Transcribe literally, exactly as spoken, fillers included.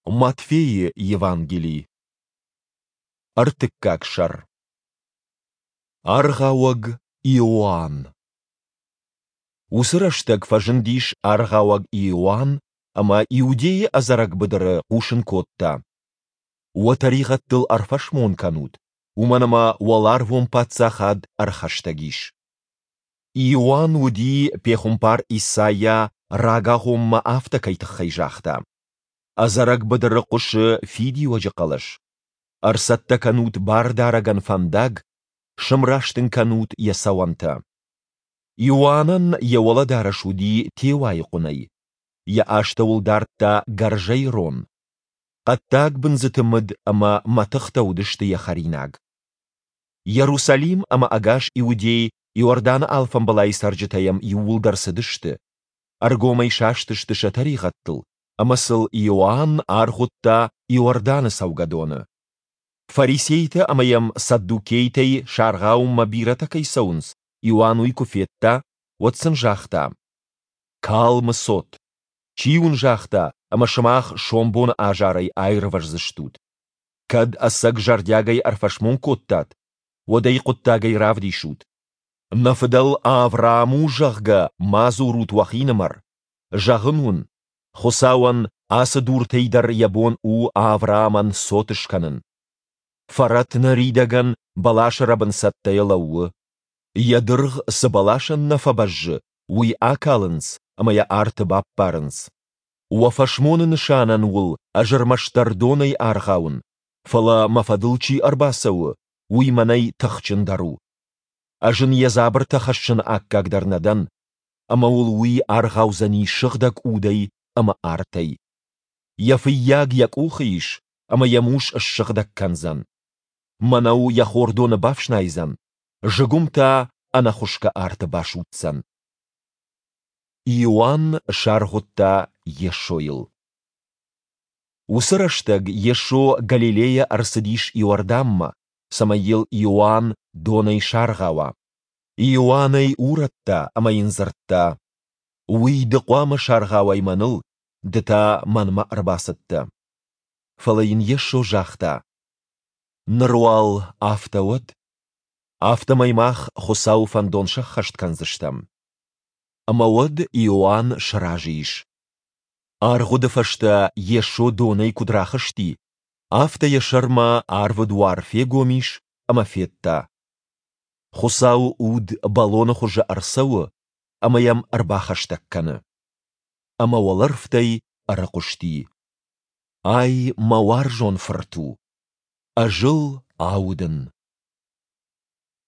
Матфейы Евангели. Ӕртыккаг сӕр. Аргъауӕг Иоанн. Уыцы рӕстӕг фӕзындис Аргъауӕг Иоанн ӕмӕ Иудейы ӕдзӕрӕг быдыры хъусын кодта: Уӕ тӕригъӕдтыл ӕрфӕсмон кӕнут, уымӕн ӕмӕ Уӕларвон Паддзахад ӕрхӕстӕг ис. Иоанн уыди, пехуымпар Исайа рагагъоммӕ афтӕ кӕй тыххӕй загъта: Ӕдзӕрӕг быдыры хъуысы фидиуӕджы хъӕлӕс. Ӕрцӕттӕ кӕнут Бардарӕгӕн фӕндаг, сымраст ын кӕнут йӕ цӕуӕнтӕ. Иоаннӕн йӕ уӕлӕдарӕс уыди теуайы хъуынӕй. Йӕ астӕуыл дардта гӕрзӕй рон. Хъӕддаг бындзыты мыд ӕмӕ мӕтыхтӕ уыдысты йӕ хӕринаг. Иерусалим ӕмӕ ӕгас Иудей, Иорданы алфамбылайы цӕрджытӕ йӕм иууылдӕр цыдысты. Ӕргомӕй састысты сӕ тӕригъӕдтыл, ӕмӕ сыл Иоанн аргъуыдта Иорданы цӕугӕдоны. Фарисейтӕ ӕмӕ йӕм саддукейтӕй саргъауынмӕ бирӕтӕ кӕй цӕуынц, Иоанн уый куы федта, уӕд сын загъта: «Калмы цот! Чи уын загъта, ӕмӕ сымах сомбоны азарӕй аирвӕздзыстут? Кӕд ӕцӕг зӕрдиагӕй ӕрфӕсмон кодтат, уӕд ӕй хъуыддагӕй равдисут. Нӕ фыдӕл Авраам у, зӕгъгӕ, ма дзурут уӕхинымӕр. Зӕгъын уын, Хуыцауӕн ацы дуртӕй дӕр йӕ бон у Авраамӕн цот скӕнын. Фӕрӕт ныридӕгӕн бӕласы рӕбын цӕттӕйӕ лӕууы. Йӕ дыргъ цы бӕласӕн нӕ фӕбӕззы, уый акалынц ӕмӕ йӕ арты баппарынц. Уӕ фӕсмоны нысанӕн уыл ӕз ӕрмӕстдӕр донӕй аргъауын, фӕлӕ мӕ фӕдыл чи ӕрбацӕуы, уый мӕнӕй тыхджындӕр у. Ӕз ын йӕ дзабыртӕ хӕссыны аккаг дӕр нӕ дӕн, ӕмӕ уыл уый аргъаудзӕни Сыгъдӕг Удӕй ӕмӕ артӕй. Йӕ фыййаг йӕ къухы ис, ӕмӕ йӕ мус ссыгъдӕг кӕндзӕн. Мӕнӕу йӕ хордоны бафснайдзӕн, зыгуым та ӕнӕхуысгӕ арты басудздзӕн. Иоанн саргъуыдта Йесойыл. Уыцы рӕстӕг Йесо Галилейӕ ӕрцыдис Иорданмӕ, цӕмӕй йыл Иоанн донӕй саргъауа. Иоанн ӕй урӕдта ӕмӕ йын дзырдта: «Уый ды хъуамӕ саргъауай мӕныл, ды та мӕнмӕ ӕрбацыдтӕ». Фӕлӕ йын Йесо загъта: «Ныр уал афтӕ уӕд. Афтӕмӕй мах Хуыцауы фӕндон сӕххӕст кӕндзыстӕм». Ӕмӕ уӕд Иоанн сразы ис. Аргъуыды фӕстӕ Йесо донӕй куыд рахызти, афтӕ йӕ сӕрмӕ арвы дуар фегом ис ӕмӕ федта: Хуыцауы Уд бӕлоны хуызы ӕрцӕуы ӕмӕ йӕм ӕрбахӕстӕг кӕны. Ӕмӕ уӕлӕрвтӕй ӕрыхъуысти: «Ай мӕ уарзон Фырт у, Ӕз ыл аудын».